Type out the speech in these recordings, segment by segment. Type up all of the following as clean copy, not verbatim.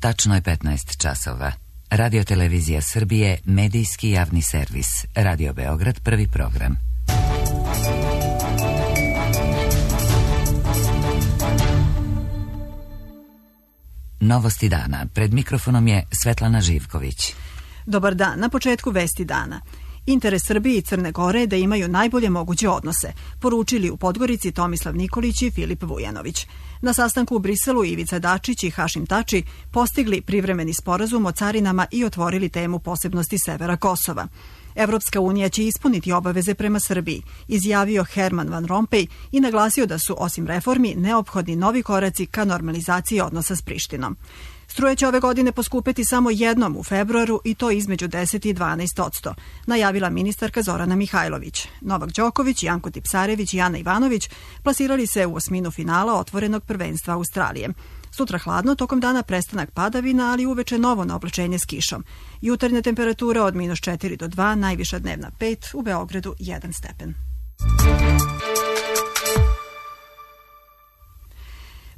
Tačno je 15 časova. Radio Televizija Srbije, medijski javni servis. Radio Beograd, prvi program. Novosti dana. Pred mikrofonom je Svetlana Živković. Dobar dan. Na početku vesti dana. Interes Srbije i Crne Gore je da imaju najbolje moguće odnose, poručili u Podgorici Tomislav Nikolić i Filip Vujanović. Na sastanku u Briselu Ivica Dačić i Hašim Tači postigli privremeni sporazum o carinama i otvorili temu posebnosti severa Kosova. Evropska unija će ispuniti obaveze prema Srbiji, izjavio Herman Van Rompuy i naglasio da su, osim reformi, neophodni novi koraci ka normalizaciji odnosa s Prištinom. Struja će ove godine poskupeti samo jednom u februaru i to između 10 i 12%, najavila ministarka Zorana Mihajlović. Novak Đoković, Janko Tipsarević i Ana Ivanović plasirali se u osminu finala otvorenog prvenstva Australije. Sutra hladno, tokom dana prestanak padavina, ali uveče novo naoblačenje s kišom. Jutarnja temperatura od -4 do 2, najviša dnevna 5, u Beogradu 1 stepen.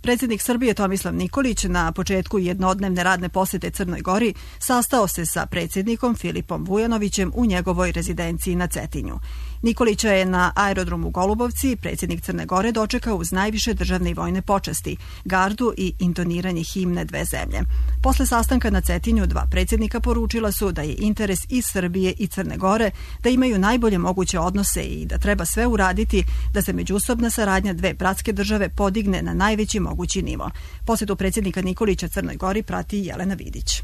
Predsjednik Srbije Tomislav Nikolić na početku jednodnevne radne posete Crnoj Gori sastao se sa predsjednikom Filipom Vujanovićem u njegovoj rezidenciji na Cetinju. Nikolića je na aerodromu Golubovci predsjednik Crne Gore dočekao uz najviše državne i vojne počasti, gardu i intoniranje himne dve zemlje. Posle sastanka na Cetinju dva predsjednika poručila su da je interes i Srbije i Crne Gore da imaju najbolje moguće odnose i da treba sve uraditi da se međusobna saradnja dve bratske države podigne na najveći mogući nivo. Posjetu predsjednika Nikolića Crnoj Gori prati Jelena Vidić.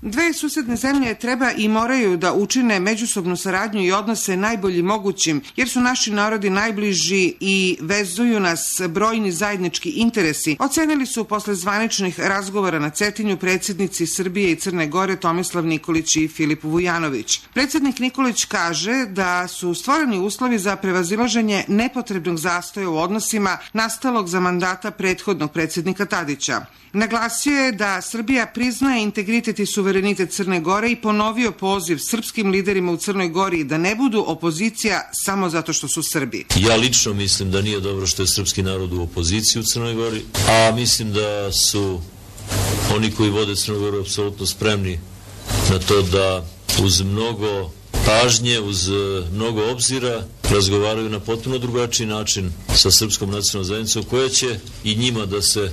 Dve susedne zemlje treba i moraju da učine međusobnu saradnju i odnose najboljim mogućim, jer su naši narodi najbliži i vezuju nas brojni zajednički interesi, ocenili su posle zvaničnih razgovora na Cetinju predsjednici Srbije i Crne Gore Tomislav Nikolić i Filip Vujanović. Predsjednik Nikolić kaže da su stvoreni uslovi za prevazilaženje nepotrebnog zastoja u odnosima nastalog za mandata prethodnog predsjednika Tadića. Naglasio je da Srbija priznaje integritet i suverenitet Crne Gore i ponovio poziv srpskim liderima u Crnoj Gori da ne budu opozicija samo zato što su Srbi. Ja lično mislim da nije dobro što je srpski narod u opoziciji u Crnoj Gori, a mislim da su oni koji vode Crnu Goru apsolutno spremni na to da uz mnogo pažnje, uz mnogo obzira razgovaraju na potpuno drugačiji način sa srpskom nacionalnom zajednicom koja će i njima da se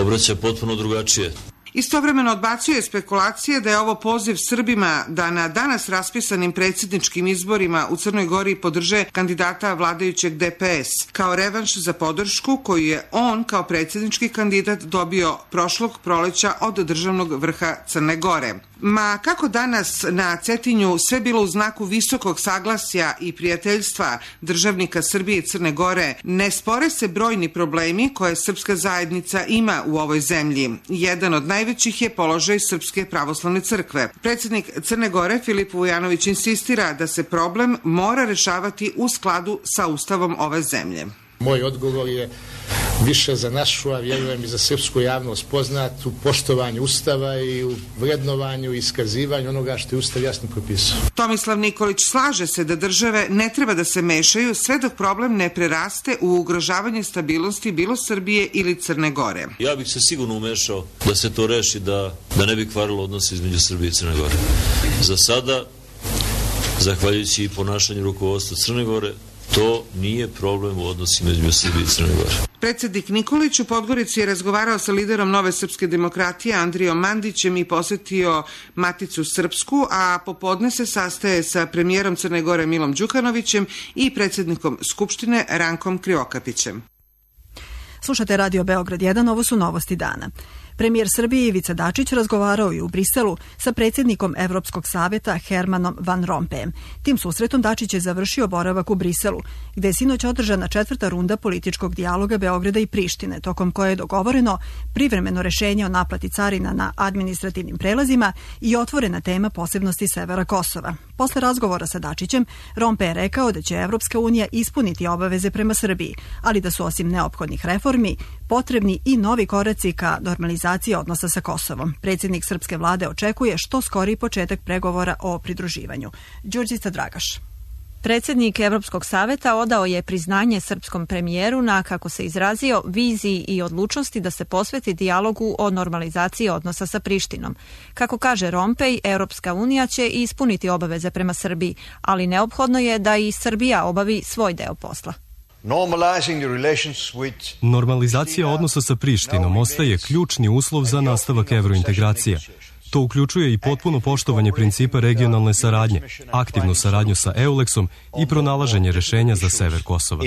obraća potpuno drugačije. Istovremeno odbacuje spekulacije da je ovo poziv Srbima da na danas raspisanim predsjedničkim izborima u Crnoj Gori podrže kandidata vladajućeg DPS, kao revanš za podršku koju je on kao predsjednički kandidat dobio prošlog proleća od državnog vrha Crne Gore. Ma kako danas na Cetinju sve bilo u znaku visokog saglasja i prijateljstva državnika Srbije i Crne Gore, ne spore se brojni problemi koje srpska zajednica ima u ovoj zemlji. Jedan od najvećih je položaj Srpske pravoslavne crkve. Predsjednik Crne Gore Filip Vujanović insistira da se problem mora rešavati u skladu sa ustavom ove zemlje. Moj odgovor je više za našu, a vjerujem i za srpsku javnost poznat u poštovanju Ustava i u vrednovanju i iskazivanju onoga što je Ustav jasno propisao. Tomislav Nikolić slaže se da države ne treba da se mešaju sve dok problem ne preraste u ugrožavanje stabilnosti bilo Srbije ili Crne Gore. Ja bih se sigurno umešao da se to reši, da ne bi kvarilo odnos između Srbije i Crne Gore. Za sada, zahvaljujući i ponašanju rukovodstva Crne Gore, to nije problem u odnosima između Srbije i Crne Gore. Predsjednik Nikolić u Podgorici je razgovarao sa liderom Nove srpske demokratije Andrijom Mandićem i posetio Maticu Srpsku, a popodne se sastaje sa premijerom Crne Gore Milom Đukanovićem i predsjednikom Skupštine Rankom Krivokapićem. Slušate Radio Beograd 1, ovo su novosti dana. Premijer Srbije Ivica Dačić razgovarao je u Briselu sa predsjednikom Evropskog saveta Hermanom Van Rompuyem. Tim susretom Dačić je završio boravak u Briselu, gde je sinoć održana 4. runda političkog dijaloga Beograda i Prištine, tokom koje je dogovoreno privremeno rešenje o naplati carina na administrativnim prelazima i otvorena tema posebnosti severa Kosova. Posle razgovora sa Dačićem, Rompuy je rekao da će Evropska unija ispuniti obaveze prema Srbiji, ali da su osim neophodnih reformi potrebni i novi koraci ka normalizaciji odnosa sa Kosovom. Predsjednik srpske vlade očekuje što skoriji početak pregovora o pridruživanju. Đurđica Dragaš. Predsjednik Evropskog saveta odao je priznanje srpskom premijeru na, kako se izrazio, viziji i odlučnosti da se posveti dijalogu o normalizaciji odnosa sa Prištinom. Kako kaže Rompej, Europska unija će ispuniti obaveze prema Srbiji, ali neophodno je da i Srbija obavi svoj deo posla. Normalizacija odnosa sa Prištinom ostaje ključni uslov za nastavak evrointegracija. To uključuje i potpuno poštovanje principa regionalne saradnje, aktivnu saradnju sa EULEX-om i pronalaženje rešenja za sever Kosova.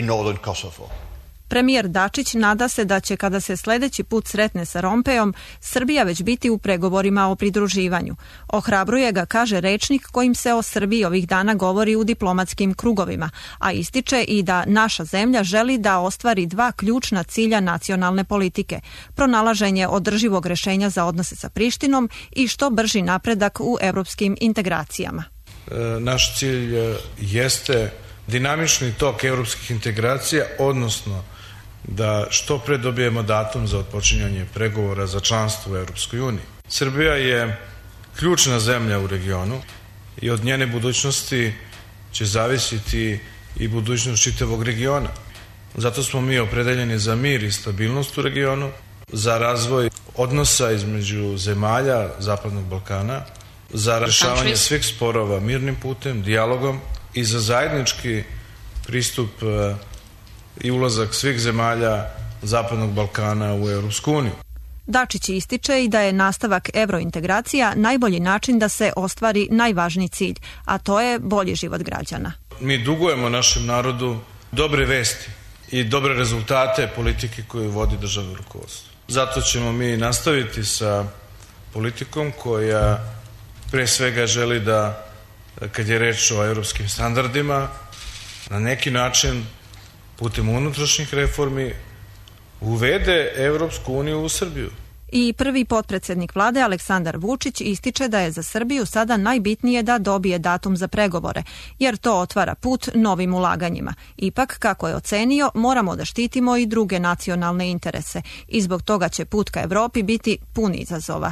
Premijer Dačić nada se da će, kada se sledeći put sretne sa Rompejom, Srbija već biti u pregovorima o pridruživanju. Ohrabruje ga, kaže rečnik, kojim se o Srbiji ovih dana govori u diplomatskim krugovima, a ističe i da naša zemlja želi da ostvari dva ključna cilja nacionalne politike: pronalaženje održivog rešenja za odnose sa Prištinom i što brži napredak u evropskim integracijama. Naš cilj jeste dinamični tok evropskih integracija, odnosno da što pre dobijemo datum za otpočinjanje pregovora za članstvo u Evropskoj uniji. Srbija je ključna zemlja u regionu i od njene budućnosti će zavisiti i budućnost čitavog regiona. Zato smo mi opredeljeni za mir i stabilnost u regionu, za razvoj odnosa između zemalja Zapadnog Balkana, za rešavanje svih sporova mirnim putem, dijalogom i za zajednički pristup i ulazak svih zemalja Zapadnog Balkana u Europsku uniju. Dačić ističe i da je nastavak evrointegracija najbolji način da se ostvari najvažniji cilj, a to je bolji život građana. Mi dugujemo našem narodu dobre vesti i dobre rezultate politike koju vodi državno rukovodstvo. Zato ćemo mi nastaviti sa politikom koja pre svega želi da, kad je reč o evropskim standardima, na neki način putem unutrašnjih reformi uvede Evropsku uniju u Srbiju. I prvi potpredsednik vlade Aleksandar Vučić ističe da je za Srbiju sada najbitnije da dobije datum za pregovore, jer to otvara put novim ulaganjima. Ipak, kako je ocenio, moramo da štitimo i druge nacionalne interese i zbog toga će put ka Evropi biti pun izazova.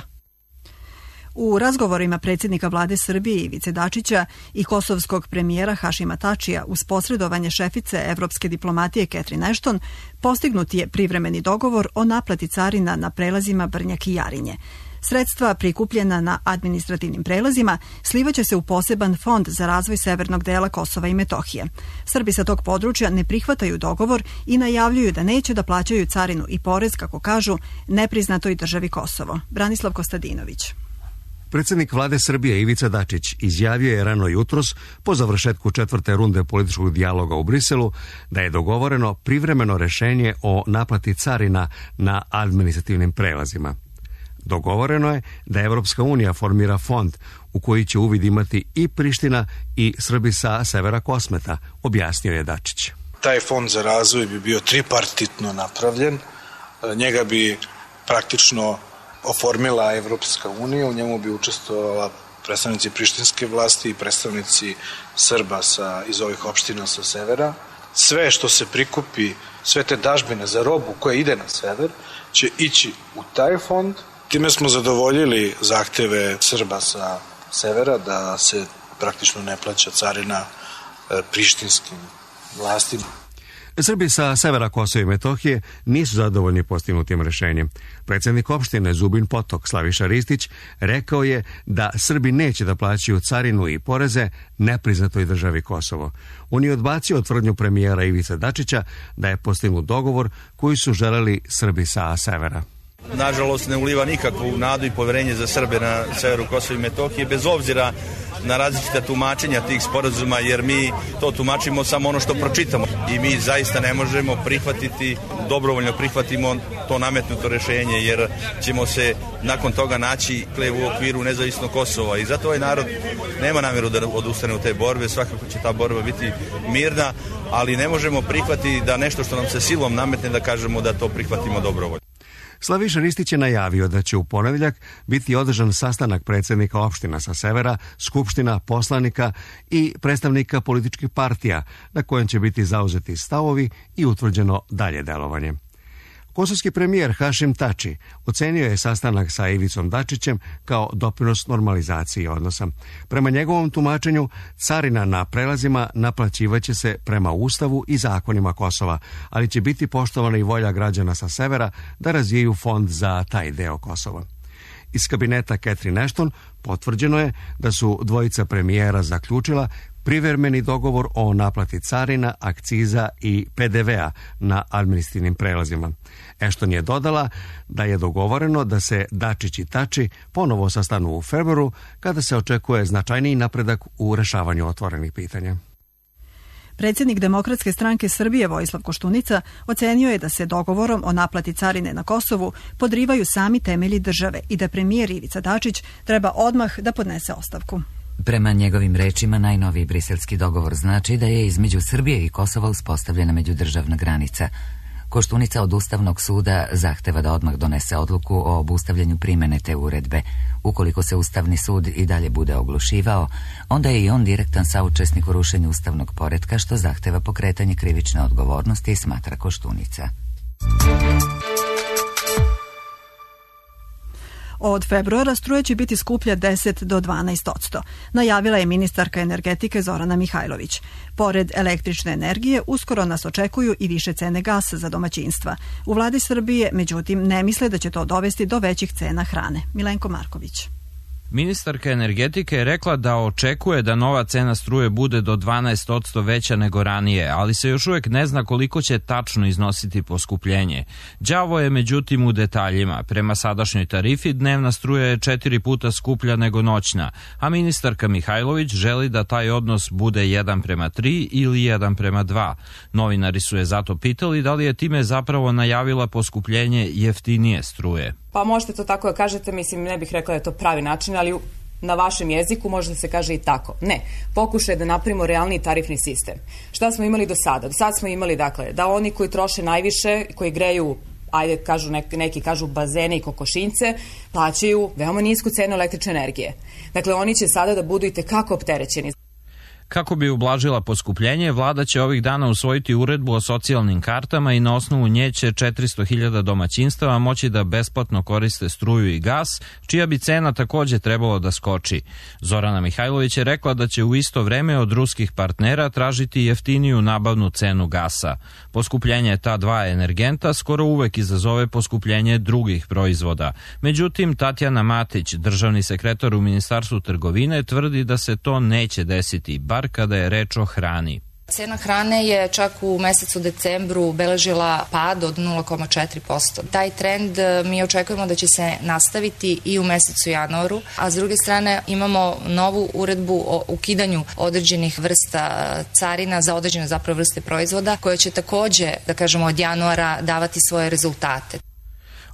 U razgovorima predsjednika vlade Srbije Ivice Dačića i kosovskog premijera Hašima Tačija uz posredovanje šefice evropske diplomatije Catherine Ashton postignut je privremeni dogovor o naplati carina na prelazima Brnjak i Jarinje. Sredstva prikupljena na administrativnim prelazima slivaće se u poseban fond za razvoj severnog dela Kosova i Metohije. Srbi sa tog područja ne prihvataju dogovor i najavljuju da neće da plaćaju carinu i porez, kako kažu, nepriznatoj državi Kosovo. Branislav Kostadinović. Predsjednik vlade Srbije Ivica Dačić izjavio je rano jutros po završetku 4. runde političkog dijaloga u Briselu da je dogovoreno privremeno rešenje o naplati carina na administrativnim prelazima. Dogovoreno je da Evropska unija formira fond u koji će uvid imati i Priština i Srbi sa severa Kosmeta, objasnio je Dačić. Taj fond za razvoj bi bio tripartitno napravljen, njega bi praktično oformila Evropska unija, u njemu bi učestvovala predstavnici prištinske vlasti i predstavnici Srba iz ovih opština sa severa. Sve što se prikupi, sve te dažbine za robu koja ide na sever, će ići u taj fond. Time smo zadovoljili zahteve Srba sa severa da se praktično ne plaća carina prištinskim vlastima. Srbi sa severa Kosova i Metohije nisu zadovoljni postignutim rešenjem. Predsjednik opštine Zubin Potok Slaviša Ristić rekao je da Srbi neće da plaćaju carinu i poreze nepriznatoj državi Kosovo. On je odbacio tvrdnju premijera Ivice Dačića da je postignut dogovor koji su želeli Srbi sa severa. Nažalost, ne uliva nikakvu nadu i poverenje za Srbe na severu Kosova i Metohije, bez obzira na različita tumačenja tih sporazuma, jer mi to tumačimo samo ono što pročitamo. I mi zaista ne možemo prihvatiti, dobrovoljno prihvatimo to nametnuto rešenje, jer ćemo se nakon toga naći u okviru nezavisnog Kosova. I zato ovaj narod nema namjeru da odustane u te borbe, svakako će ta borba biti mirna, ali ne možemo prihvatiti da nešto što nam se silom nametne da kažemo da to prihvatimo dobrovoljno. Slaviša Ristić je najavio da će u ponedjeljak biti održan sastanak predsjednika opština sa severa, skupština, poslanika i predstavnika političkih partija, na kojem će biti zauzeti stavovi i utvrđeno dalje delovanje. Kosovski premijer Hašim Tači ocenio je sastanak sa Ivicom Dačićem kao doprinos normalizaciji odnosa. Prema njegovom tumačenju, carina na prelazima naplaćivaće se prema Ustavu i zakonima Kosova, ali će biti poštovana i volja građana sa severa da razvijaju fond za taj deo Kosova. Iz kabineta Catherine Ashton potvrđeno je da su dvojica premijera zaključila privremeni dogovor o naplati carina, akciza i PDV-a na administrativnim prelazima. Ashton je dodala da je dogovoreno da se Dačić i Tači ponovo sastanu u februaru, kada se očekuje značajniji napredak u rešavanju otvorenih pitanja. Predsjednik Demokratske stranke Srbije Vojislav Koštunica ocenio je da se dogovorom o naplati carine na Kosovu podrivaju sami temelji države i da premijer Ivica Dačić treba odmah da podnese ostavku. Prema njegovim rečima, najnoviji briselski dogovor znači da je između Srbije i Kosova uspostavljena međudržavna granica. Koštunica od Ustavnog suda zahteva da odmah donese odluku o obustavljanju primene te uredbe. Ukoliko se Ustavni sud i dalje bude oglušivao, onda je i on direktan saučesnik u rušenju ustavnog poretka, što zahteva pokretanje krivične odgovornosti, smatra Koštunica. Od februara struja će biti skuplja 10 do 12%, najavila je ministarka energetike Zorana Mihajlović. Pored električne energije, uskoro nas očekuju i više cene gasa za domaćinstva. U vladi Srbije, međutim, ne misle da će to dovesti do većih cena hrane. Milenko Marković. Ministarka energetike je rekla da očekuje da nova cena struje bude do 12% veća nego ranije, ali se još uvijek ne zna koliko će tačno iznositi poskupljenje. Đavo je međutim u detaljima. Prema sadašnjoj tarifi dnevna struja je 4 puta skuplja nego noćna, a ministarka Mihajlović želi da taj odnos bude 1:3 ili 1:2. Novinari su je zato pitali da li je time zapravo najavila poskupljenje jeftinije struje. Pa možete to tako da kažete, mislim, ne bih rekla da je to pravi način, ali na vašem jeziku može da se kaže i tako. Ne, pokušaj da napravimo realniji tarifni sistem. Šta smo imali do sada? Do sada smo imali, dakle, da oni koji troše najviše, koji greju, ajde kažu neki kažu bazene i kokošinjce, plaćaju veoma nisku cenu električne energije. Dakle, oni će sada da budu i tekako opterećeni. Kako bi ublažila poskupljenje, vlada će ovih dana usvojiti uredbu o socijalnim kartama i na osnovu nje će 400.000 domaćinstava moći da besplatno koriste struju i gas, čija bi cena također trebalo da skoči. Zorana Mihajlović je rekla da će u isto vreme od ruskih partnera tražiti jeftiniju nabavnu cenu gasa. Poskupljenje ta dva energenta skoro uvek izazove poskupljenje drugih proizvoda. Međutim, Tatjana Matić, državni sekretar u Ministarstvu trgovine, tvrdi da se to neće desiti, bar kada je reč o hrani. Cena hrane je čak u mesecu decembru beležila pad od 0,4%. Taj trend mi očekujemo da će se nastaviti i u mesecu januaru, a s druge strane imamo novu uredbu o ukidanju određenih vrsta carina za određene zapravo vrste proizvoda, koja će također, da kažemo, od januara davati svoje rezultate.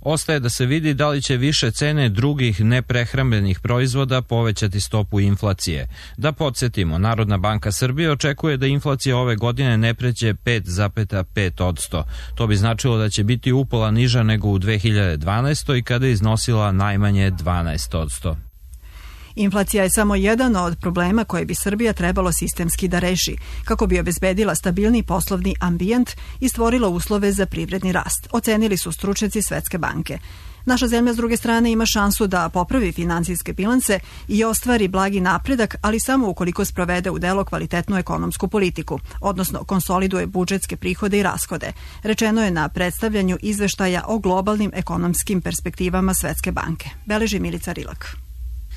Ostaje da se vidi da li će više cene drugih neprehrambenih proizvoda povećati stopu inflacije. Da podsjetimo, Narodna banka Srbije očekuje da inflacija ove godine ne pređe 5,5%. To bi značilo da će biti upola niža nego u 2012. kada je iznosila najmanje 12%. Inflacija je samo jedan od problema koje bi Srbija trebalo sistemski da reši, kako bi obezbedila stabilni poslovni ambijent i stvorila uslove za privredni rast, ocenili su stručnjaci Svetske banke. Naša zemlja, s druge strane, ima šansu da popravi finansijske bilanse i ostvari blagi napredak, ali samo ukoliko sprovede u delo kvalitetnu ekonomsku politiku, odnosno konsoliduje budžetske prihode i rashode, rečeno je na predstavljanju izveštaja o globalnim ekonomskim perspektivama Svetske banke. Beleži Milica Rilak.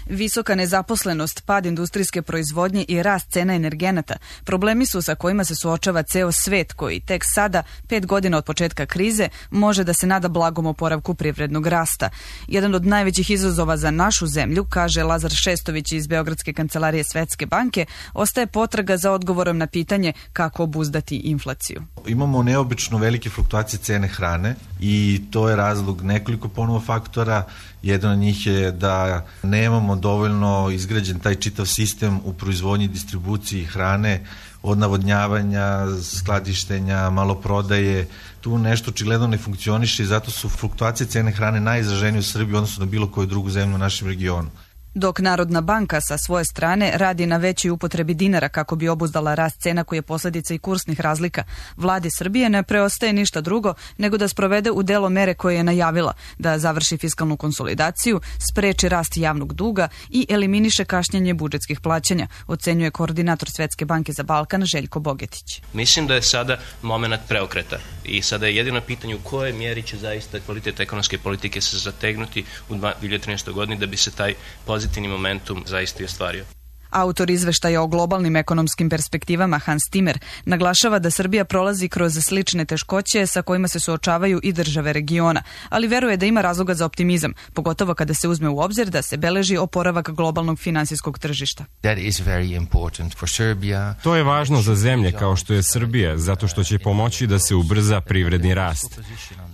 Visoka nezaposlenost, pad industrijske proizvodnje i rast cena energenata problemi su sa kojima se suočava ceo svet, koji tek sada, 5 godina od početka krize, može da se nada blagom oporavku privrednog rasta. Jedan od najvećih izazova za našu zemlju, kaže Lazar Šestović iz Beogradske kancelarije Svetske banke, ostaje potraga za odgovorom na pitanje kako obuzdati inflaciju. Imamo neobično velike fluktuacije cene hrane i to je razlog nekoliko ponovo faktora. Jedan od njih je da nemamo dovoljno izgrađen taj čitav sistem u proizvodnji i distribuciji hrane, od navodnjavanja, skladištenja, maloprodaje. Tu nešto očigledno ne funkcioniše i zato su fluktuacije cene hrane najizraženije u Srbiji odnosno na bilo koju drugu zemlju u našem regionu. Dok Narodna banka sa svoje strane radi na većoj upotrebi dinara kako bi obuzdala rast cena koji je posljedica i kursnih razlika, vladi Srbije ne preostaje ništa drugo nego da sprovede u delo mere koje je najavila, da završi fiskalnu konsolidaciju, spreči rast javnog duga i eliminiše kašnjenje budžetskih plaćanja, ocenjuje koordinator Svetske banke za Balkan Željko Bogetić. Mislim da je sada moment preokreta i sada je jedino pitanje u kojoj mjeri će zaista kvalitet ekonomske politike se zategnuti u 2013. godini da bi se taj pozitivni momentum zaista i ostvario. Autor izveštaja o globalnim ekonomskim perspektivama Hans Timmer naglašava da Srbija prolazi kroz slične teškoće sa kojima se suočavaju i države regiona, ali veruje da ima razloga za optimizam, pogotovo kada se uzme u obzir da se beleži oporavak globalnog finansijskog tržišta. To je važno za zemlje kao što je Srbija, zato što će pomoći da se ubrza privredni rast.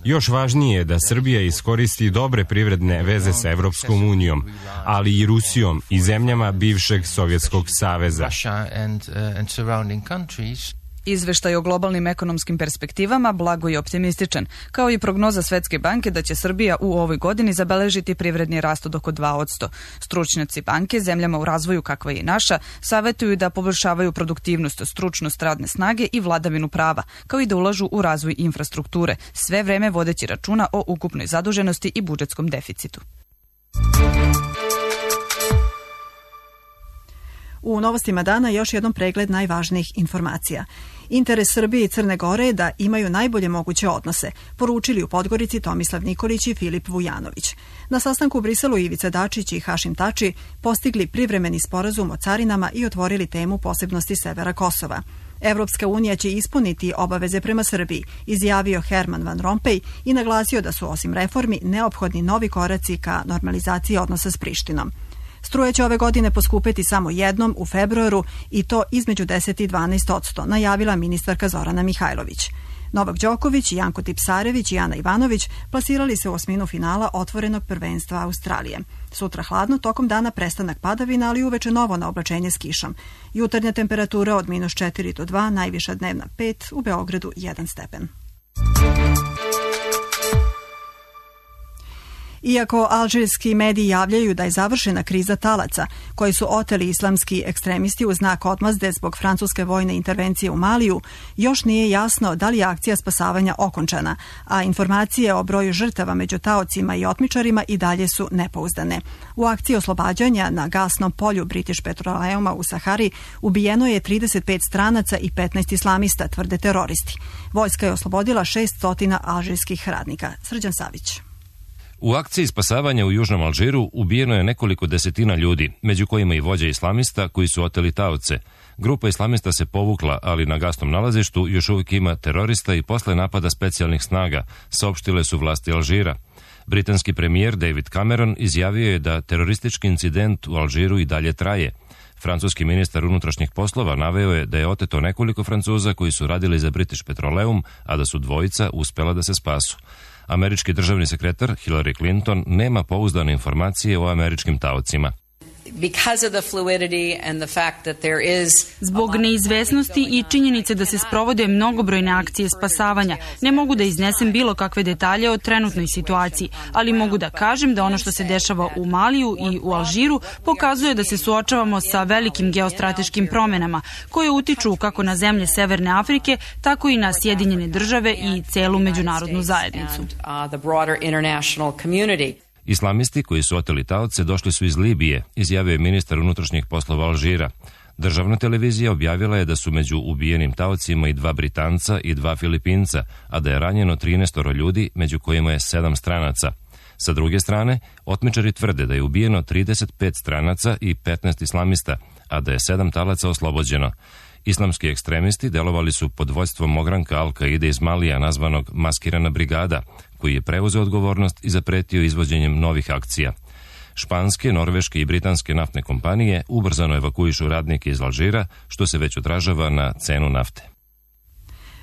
Još važnije je da Srbija iskoristi dobre privredne veze sa Evropskom unijom, ali i Rusijom i zemljama bivšeg Sovjetskog saveza. Izveštaj o globalnim ekonomskim perspektivama blago je optimističan, kao i prognoza Svetske banke da će Srbija u ovoj godini zabeležiti privredni rast od oko 2%. Stručnjaci banke zemljama u razvoju kakva je i naša savetuju da poboljšavaju produktivnost, stručnost radne snage i vladavinu prava, kao i da ulažu u razvoj infrastrukture, sve vreme vodeći računa o ukupnoj zaduženosti i budžetskom deficitu. U novostima dana još jednom pregled najvažnijih informacija. Interes Srbije i Crne Gore je da imaju najbolje moguće odnose, poručili u Podgorici Tomislav Nikolić i Filip Vujanović. Na sastanku u Briselu Ivica Dačić i Hašim Tači postigli privremeni sporazum o carinama i otvorili temu posebnosti severa Kosova. Evropska unija će ispuniti obaveze prema Srbiji, izjavio Herman Van Rompuy i naglasio da su osim reformi neophodni novi koraci ka normalizaciji odnosa s Prištinom. Struja će ove godine poskupeti samo jednom u februaru i to između 10 i 12%, najavila ministarka Zorana Mihajlović. Novak Đoković, Janko Tipsarević i Ana Ivanović plasirali se u osminu finala otvorenog prvenstva Australije. Sutra hladno, tokom dana prestanak padavina, ali uveče novo na oblačenje s kišom. Jutarnja temperatura od -4 do 2, najviša dnevna 5, u Beogradu 1 stepen. Iako alžirski mediji javljaju da je završena kriza talaca, koji su oteli islamski ekstremisti u znak odmazde zbog francuske vojne intervencije u Maliju, još nije jasno da li je akcija spasavanja okončana, a informacije o broju žrtava među taocima i otmičarima i dalje su nepouzdane. U akciji oslobađanja na gasnom polju British Petroleuma u Sahari ubijeno je 35 stranaca i 15 islamista, tvrde teroristi. Vojska je oslobodila 600 alžirskih radnika. Srđan Savić. U akciji spasavanja u Južnom Alžiru ubijeno je nekoliko desetina ljudi, među kojima i vođa islamista koji su oteli taoce. Grupa islamista se povukla, ali na gasnom nalazištu još uvijek ima terorista i posle napada specijalnih snaga, saopštile su vlasti Alžira. Britanski premijer David Cameron izjavio je da teroristički incident u Alžiru i dalje traje. Francuski ministar unutrašnjih poslova naveo je da je oteto nekoliko Francuza koji su radili za British Petroleum, a da su dvojica uspela da se spasu. Američki državni sekretar Hillary Clinton nema pouzdane informacije o američkim taocima. Zbog neizvesnosti i činjenice da se sprovode mnogobrojne akcije spasavanja, ne mogu da iznesem bilo kakve detalje o trenutnoj situaciji, ali mogu da kažem da ono što se dešava u Maliju i u Alžiru pokazuje da se suočavamo sa velikim geostrateškim promenama koje utiču kako na zemlje Severne Afrike, tako i na Sjedinjene države i celu međunarodnu zajednicu. Islamisti koji su oteli taoce došli su iz Libije, izjavio je ministar unutrašnjih poslova Alžira. Državna televizija objavila je da su među ubijenim taocima i 2 Britanca i 2 Filipinca, a da je ranjeno 13 ljudi, među kojima je 7 stranaca. Sa druge strane, otmičari tvrde da je ubijeno 35 stranaca i 15 islamista, a da je 7 talaca oslobođeno. Islamski ekstremisti delovali su pod vođstvom ogranka Al-Kaide iz Malija nazvanog Maskirana brigada, koji je preuzeo odgovornost i zapretio izvođenjem novih akcija. Španske, norveške i britanske naftne kompanije ubrzano evakuišu radnike iz Alžira, što se već odražava na cenu nafte.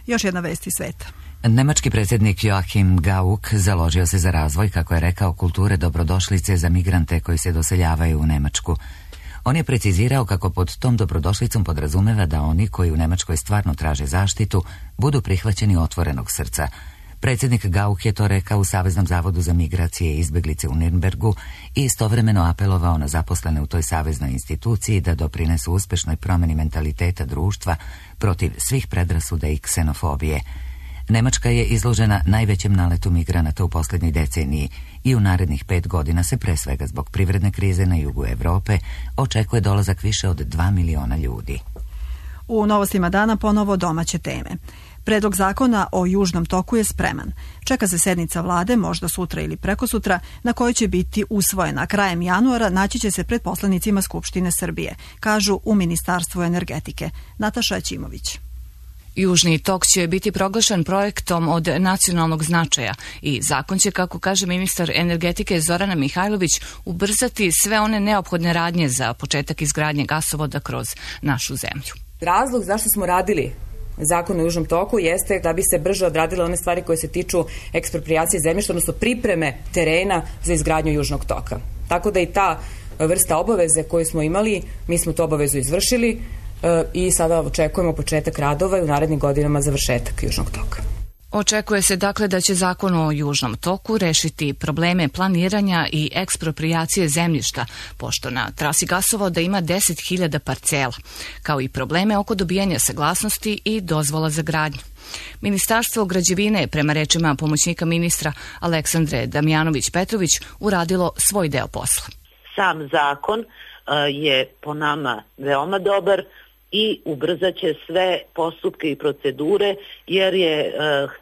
Još jedna vest iz sveta. Nemački predsjednik Joachim Gauck založio se za razvoj, kako je rekao, kulture dobrodošlice za migrante koji se doseljavaju u Nemačku. On je precizirao kako pod tom dobrodošlicom podrazumeva da oni koji u Nemačkoj stvarno traže zaštitu budu prihvaćeni otvorenog srca. Predsjednik Gauck je to rekao u Saveznom zavodu za migracije i izbeglice u Nirnbergu i istovremeno apelovao na zaposlene u toj saveznoj instituciji da doprinesu uspešnoj promjeni mentaliteta društva protiv svih predrasuda i ksenofobije. Nemačka je izložena najvećem naletu migranata u posljednjoj deceniji i u narednih 5 godina se pre svega zbog privredne krize na jugu Evrope očekuje dolazak više od 2 miliona ljudi. U novostima dana ponovo domaće teme. Predlog zakona o Južnom toku je spreman. Čeka se sednica vlade, možda sutra ili prekosutra, na kojoj će biti usvojena. Krajem januara naći će se pred poslanicima Skupštine Srbije, kažu u Ministarstvu energetike. Nataša Ćimović. Južni tok će biti proglašen projektom od nacionalnog značaja i zakon će, kako kaže ministar energetike Zorana Mihajlović, ubrzati sve one neophodne radnje za početak izgradnje gasovoda kroz našu zemlju. Razlog zašto smo radili Zakon o Južnom toku jeste da bi se brže odradile one stvari koje se tiču eksproprijacije zemljišta, odnosno pripreme terena za izgradnju Južnog toka. Tako da i ta vrsta obaveze koju smo imali, mi smo tu obavezu izvršili i sada očekujemo početak radova i u narednim godinama završetak Južnog toka. Očekuje se dakle da će zakon o Južnom toku rešiti probleme planiranja i eksproprijacije zemljišta, pošto na trasi gasovoda ima 10.000 parcela, kao i probleme oko dobijanja saglasnosti i dozvola za gradnju. Ministarstvo građevine je, prema rečima pomoćnika ministra Aleksandre Damjanović-Petrović, uradilo svoj deo posla. Sam zakon je po nama veoma dobar i ubrzat će sve postupke i procedure, jer je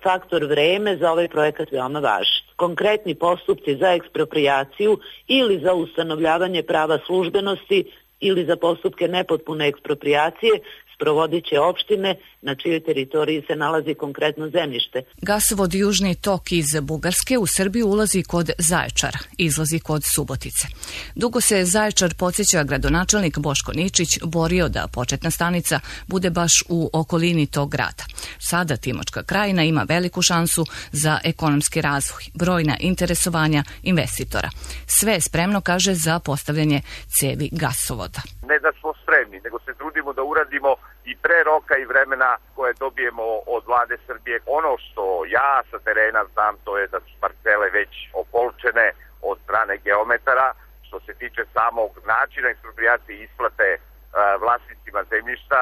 faktor vreme za ovaj projekat veoma važan. Konkretni postupci za eksproprijaciju ili za ustanovljavanje prava službenosti ili za postupke nepotpune eksproprijacije sprovodit će opštine na čijoj teritoriji se nalazi konkretno zemljište. Gasovod Južni tok iz Bugarske u Srbiju ulazi kod Zaječara, izlazi kod Subotice. Dugo se Zaječar, podsjeća gradonačelnik Boško Ničić, borio da početna stanica bude baš u okolini tog grada. Sada Timočka krajina ima veliku šansu za ekonomski razvoj, brojna interesovanja investitora. Sve je spremno, kaže, za postavljanje cevi gasovoda. Ne da smo spremni, nego se trudimo da uradimo i pre roka i vremena koje dobijemo od vlade Srbije. Ono što ja sa terena znam, to je da su parcele već opolčene od strane geometara. Što se tiče samog načina eksproprijacije i isplate vlasnicima zemljišta,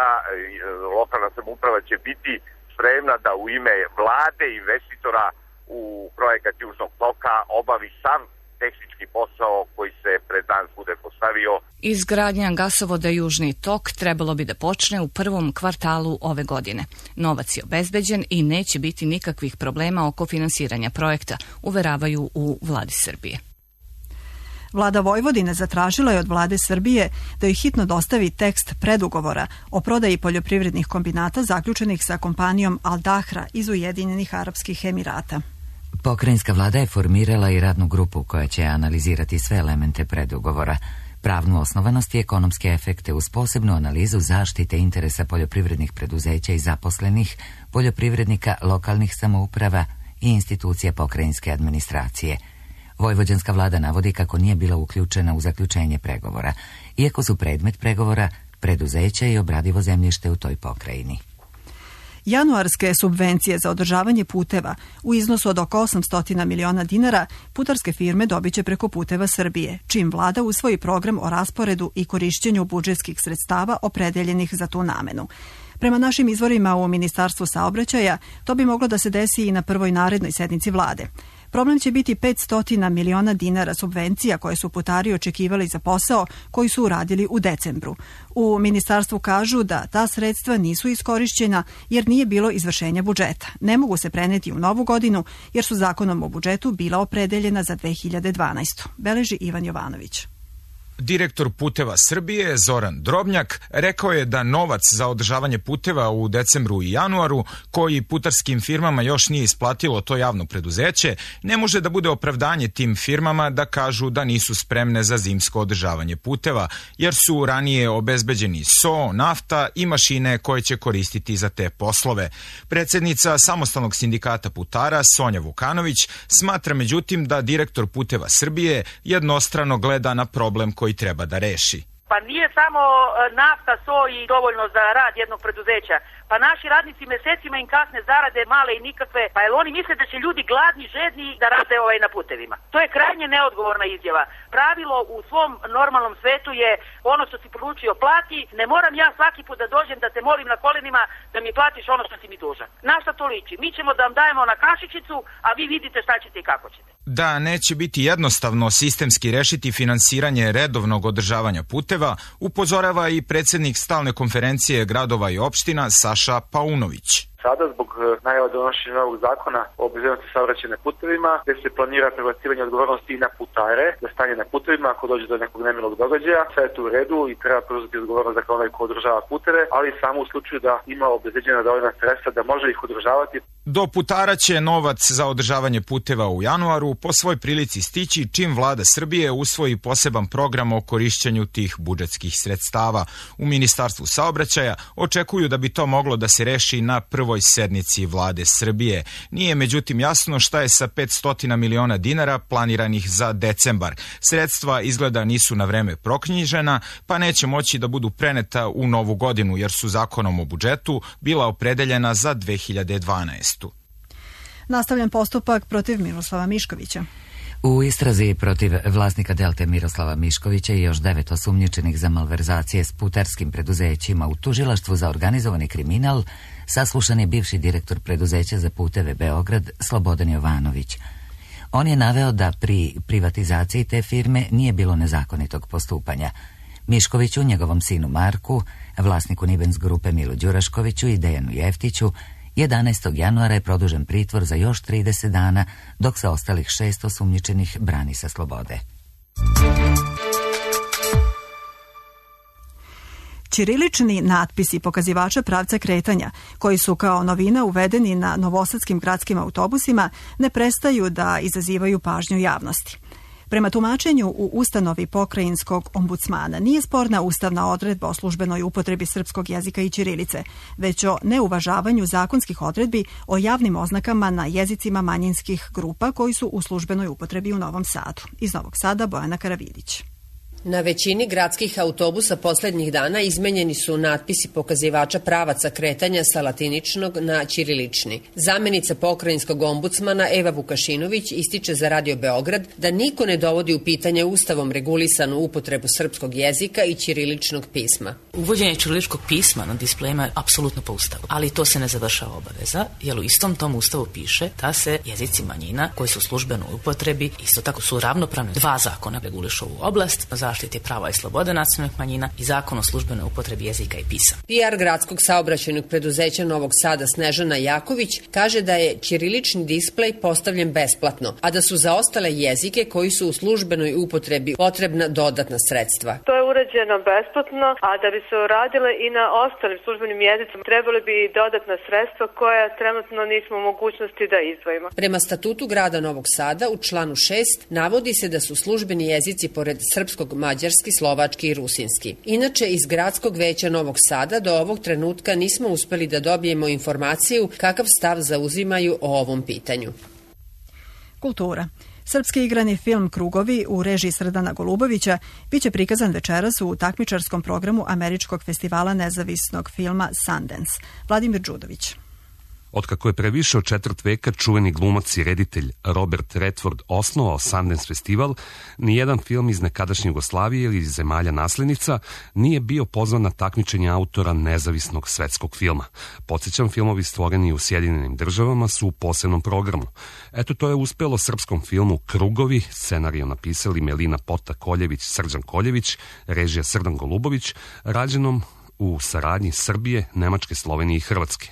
lokalna samouprava će biti spremna da u ime vlade i investitora u projekat Južnog toka obavi sav tehnički posao koji se pred nas bude postavio. Izgradnja gasovoda Južni tok trebalo bi da počne u prvom kvartalu ove godine. Novac je obezbeđen i neće biti nikakvih problema oko finansiranja projekta, uveravaju u vladi Srbije. Vlada Vojvodine zatražila je od vlade Srbije da joj hitno dostavi tekst predugovora o prodaji poljoprivrednih kombinata zaključenih sa kompanijom Al Dahra iz Ujedinjenih Arapskih Emirata. Pokrajinska vlada je formirala i radnu grupu koja će analizirati sve elemente predugovora, pravnu osnovanost i ekonomske efekte uz posebnu analizu zaštite interesa poljoprivrednih preduzeća i zaposlenih, poljoprivrednika, lokalnih samouprava i institucija pokrajinske administracije. Vojvođanska vlada navodi kako nije bila uključena u zaključenje pregovora, iako su predmet pregovora preduzeća i obradivo zemljište u toj pokrajini. Januarske subvencije za održavanje puteva u iznosu od oko 800 miliona dinara putarske firme dobit će preko Puteva Srbije, čim vlada usvoji program o rasporedu i korišćenju budžetskih sredstava opredeljenih za tu namenu. Prema našim izvorima u Ministarstvu saobraćaja, to bi moglo da se desi i na prvoj narednoj sednici vlade. Problem će biti 500 miliona dinara subvencija koje su putari očekivali za posao koji su uradili u decembru. U ministarstvu kažu da ta sredstva nisu iskorišćena jer nije bilo izvršenja budžeta. Ne mogu se preneti u novu godinu jer su zakonom o budžetu bila opredeljena za 2012. Beleži Ivan Jovanović. Direktor Puteva Srbije Zoran Drobnjak rekao je da novac za održavanje puteva u decembru i januaru, koji putarskim firmama još nije isplatilo to javno preduzeće, ne može da bude opravdanje tim firmama da kažu da nisu spremne za zimsko održavanje puteva, jer su ranije obezbeđeni so, nafta i mašine koje će koristiti za te poslove. Predsjednica Samostalnog sindikata putara Sonja Vukanović smatra međutim da direktor Puteva Srbije jednostrano gleda na problem koji treba da reši. Pa nije samo nafta, so i dovoljno za rad jednog preduzeća. Pa naši radnici mesecima im kasne zarade male i nikakve, pa jel oni misle da će ljudi gladni, žedni da rade na putevima? To je krajnje neodgovorna izjava. Pravilo u svom normalnom svetu je ono što si poručio plati, ne moram ja svaki put da dođem da te molim na kolenima da mi platiš ono što si mi dužan. Na šta to liči? Mi ćemo da vam dajemo na kašičicu, a vi vidite šta ćete i kako ćete. Da neće biti jednostavno sistemski rešiti finansiranje redovnog održavanja puteva, upozorava i predsjednik stalne konferencije gradova i opština Saša Paunović. Sada, zbog najava donošenja novog zakona o bezbednosti saobraćaja na putevima, gde se planira prebacivanje odgovornosti i na putare, da stanje na putevima ako dođe do nekog nemilog događaja, sve je to u redu i treba preuzeti odgovornost za onaj ko održava puteve, ali samo u slučaju da ima obezbeđena dovoljna sredstva da može ih održavati. Do putara će novac za održavanje puteva u januaru po svoj prilici stići čim vlada Srbije usvoji poseban program o korišćenju tih budžetskih sredstava. U Ministarstvu saobraćaja očekuju da bi to moglo da se reši na prvoj sednici vlade Srbije. Nije međutim jasno šta je sa 500 miliona dinara planiranih za decembar. Sredstva izgleda nisu na vreme proknjižena, pa neće moći da budu preneta u novu godinu, jer su zakonom o budžetu bila opredeljena za 2012. Nastavljen postupak protiv Miroslava Miškovića. U istrazi protiv vlasnika Delte Miroslava Miškovića i još 9 osumnjičenih za malverzacije s putarskim preduzećima u tužilaštvu za organizovani kriminal saslušan je bivši direktor preduzeća za puteve Beograd Slobodan Jovanović. On je naveo da pri privatizaciji te firme nije bilo nezakonitog postupanja. Miškoviću, njegovom sinu Marku, vlasniku Nibens grupe Milu Đuraškoviću i Dejanu Jeftiću, 11. januara je produžen pritvor za još 30 dana, dok se ostalih 6 osumnjičenih brani sa slobode. Ćirilični natpisi pokazivača pravca kretanja, koji su kao novina uvedeni na novosadskim gradskim autobusima, ne prestaju da izazivaju pažnju javnosti. Prema tumačenju u ustanovi pokrajinskog ombudsmana nije sporna ustavna odredba o službenoj upotrebi srpskog jezika i ćirilice, već o neuvažavanju zakonskih odredbi o javnim oznakama na jezicima manjinskih grupa koji su u službenoj upotrebi u Novom Sadu. Iz Novog Sada Bojana Karavidić. Na većini gradskih autobusa poslednjih dana izmenjeni su natpisi pokazivača pravaca kretanja sa latiničnog na ćirilični. Zamenica pokrajinskog ombudsmana Eva Vukašinović ističe za Radio Beograd da niko ne dovodi u pitanje ustavom regulisanu upotrebu srpskog jezika i ćiriličnog pisma. Uvođenje ćiriličkog pisma na displejima je apsolutno po ustavu, ali to se ne završava obaveza, jer u istom tom ustavu piše da se jezici manjina koji su službeno u upotrebi isto tako su ravnopravne. 2 zakona regulišu ovu oblast, zaštiti prava i slobode nacionalnih manjina i zakon o službenoj upotrebi jezika i pisama. PR gradskog saobraćajnog preduzeća Novog Sada Snežana Jaković kaže da je ćirilični displej postavljen besplatno, a da su za ostale jezike koji su u službenoj upotrebi potrebna dodatna sredstva. To je urađeno besplatno, a da bi se uradile i na ostalim službenim jezicima trebali bi i dodatna sredstva koja trenutno nismo u mogućnosti da izdvojimo. Prema statutu grada Novog Sada u članu 6 navodi se da su službeni jezici pored srpskog mađarski, slovački i rusinski. Inače, iz gradskog veća Novog Sada do ovog trenutka nismo uspeli da dobijemo informaciju kakav stav zauzimaju o ovom pitanju. Kultura. Srpski igrani film Krugovi u režiji Srdana Golubovića biće prikazan večeras u takmičarskom programu Američkog festivala nezavisnog filma Sundance. Vladimir Đudović. Otkako je pre više od 4 veka čuveni glumac i reditelj Robert Redford osnovao Sundance festival, nijedan film iz nekadašnje Jugoslavije ili iz zemalja naslednica nije bio pozvan na takmičenje autora nezavisnog svetskog filma. Podsjećam, filmovi stvoreni u Sjedinjenim državama su u posebnom programu. Eto, to je uspelo srpskom filmu Krugovi, scenariju napisali Melina Pota-Koljević, Srđan Koljević, režija Srdan Golubović, rađenom u saradnji Srbije, Nemačke, Slovenije i Hrvatske.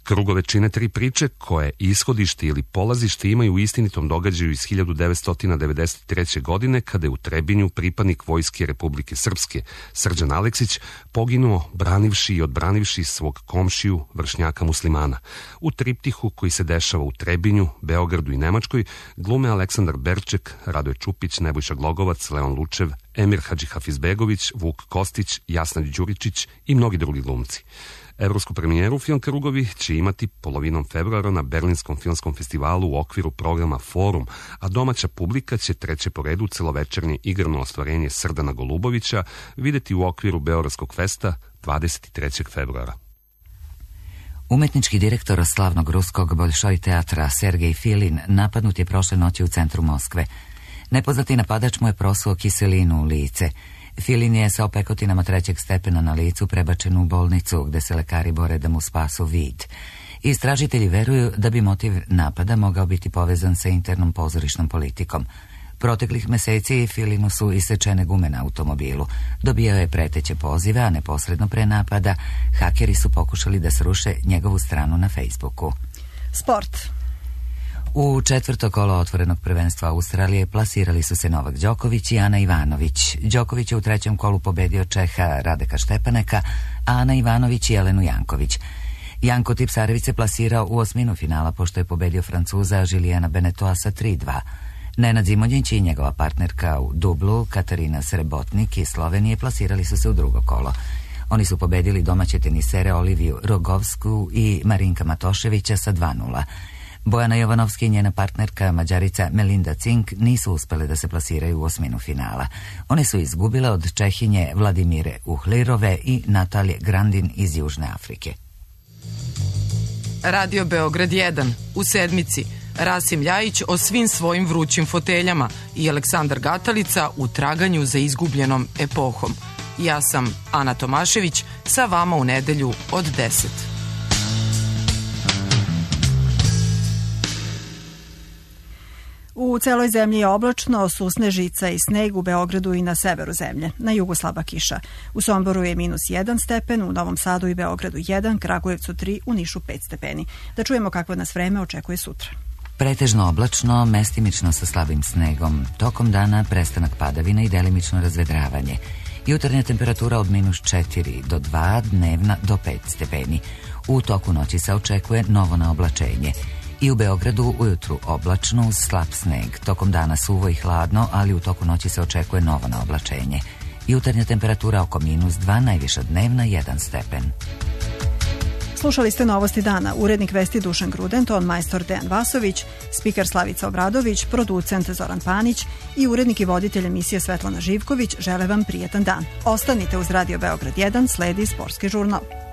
Krugove čine 3 priče koje ishodište ili polazište imaju u istinitom događaju iz 1993. godine kada je u Trebinju pripadnik Vojske Republike Srpske Srđan Aleksić poginuo branivši i odbranivši svog komšiju vršnjaka muslimana. U triptihu koji se dešava u Trebinju, Beogradu i Nemačkoj glume Aleksandar Berček, Radoje Čupić, Nebojša Glogovac, Leon Lučev, Emir Hadžihafizbegović, Vuk Kostić, Jasna Đuričić i mnogi drugi glumci. Evropsku premijeru film Krugovi će imati polovinom februara na Berlinskom filmskom festivalu u okviru programa Forum, a domaća publika će treće po redu celovečernje igrano ostvarenje Srdana Golubovića videti u okviru Beogradskog festa 23. februara. Umetnički direktor slavnog ruskog Bolšoj teatra Sergej Filin napadnut je prošle noći u centru Moskve. Nepoznati napadač mu je prosuo kiselinu u lice. Filin je sa opekotinama 3. stepena na licu prebačen u bolnicu gde se lekari bore da mu spasu vid. Istražitelji veruju da bi motiv napada mogao biti povezan sa internom pozorišnom politikom. Proteklih meseci Filinu su isečene gume na automobilu. Dobijao je preteće pozive, a neposredno pre napada hakeri su pokušali da sruše njegovu stranu na Facebooku. Sport. U 4. kolo otvorenog prvenstva Australije plasirali su se Novak Đoković i Ana Ivanović. Đoković je u 3. kolu pobedio Čeha Radeka Štepaneka, a Ana Ivanović i Jelenu Janković. Janko Tipsarević se plasirao u osminu finala pošto je pobedio Francuza Žilijana Benetoa sa 3-2. Nenad Zimonjić i njegova partnerka u dublu Katarina Srebotnik iz Slovenije plasirali su se u 2. kolo. Oni su pobedili domaće tenisere Oliviju Rogovsku i Marinka Matoševića sa 2-0. Bojana Jovanovski i njena partnerka Mađarica Melinda Cink nisu uspele da se plasiraju u osminu finala. One su izgubile od Čehinje Vladimire Uhlirove i Natalije Grandin iz Južne Afrike. Radio Beograd 1 u sedmici. Rasim Ljajić o svim svojim vrućim foteljama i Aleksandar Gatalica u traganju za izgubljenom epohom. Ja sam Ana Tomašević, sa vama u nedelju od 10. U celoj zemlji je oblačno, susne žica i sneg u Beogradu i na severu zemlje. Na jugu slaba kiša. U Somboru je -1 stepen, u Novom Sadu i Beogradu 1, Kragujevcu 3, u Nišu 5 stepeni. Da čujemo kakvo nas vreme očekuje sutra. Pretežno oblačno, mestimično sa slabim snegom. Tokom dana prestanak padavina i delimično razvedravanje. Jutarnja temperatura od -4 do 2, dnevna do 5 stepeni. U toku noći se očekuje novo naoblačenje. I u Beogradu ujutru oblačno uz slab sneg. Tokom dana suvo i hladno, ali u toku noći se očekuje novo naoblačenje. Jutarnja temperatura oko -2, najviša dnevna 1 stepen. Slušali ste Novosti dana. Urednik vesti Dušan Gruden, ton majstor Dejan Vasović, spiker Slavica Obradović, producent Zoran Panić i urednik i voditelj emisije Svetlana Živković žele vam prijetan dan. Ostanite uz Radio Beograd 1, sledi sportski žurnal.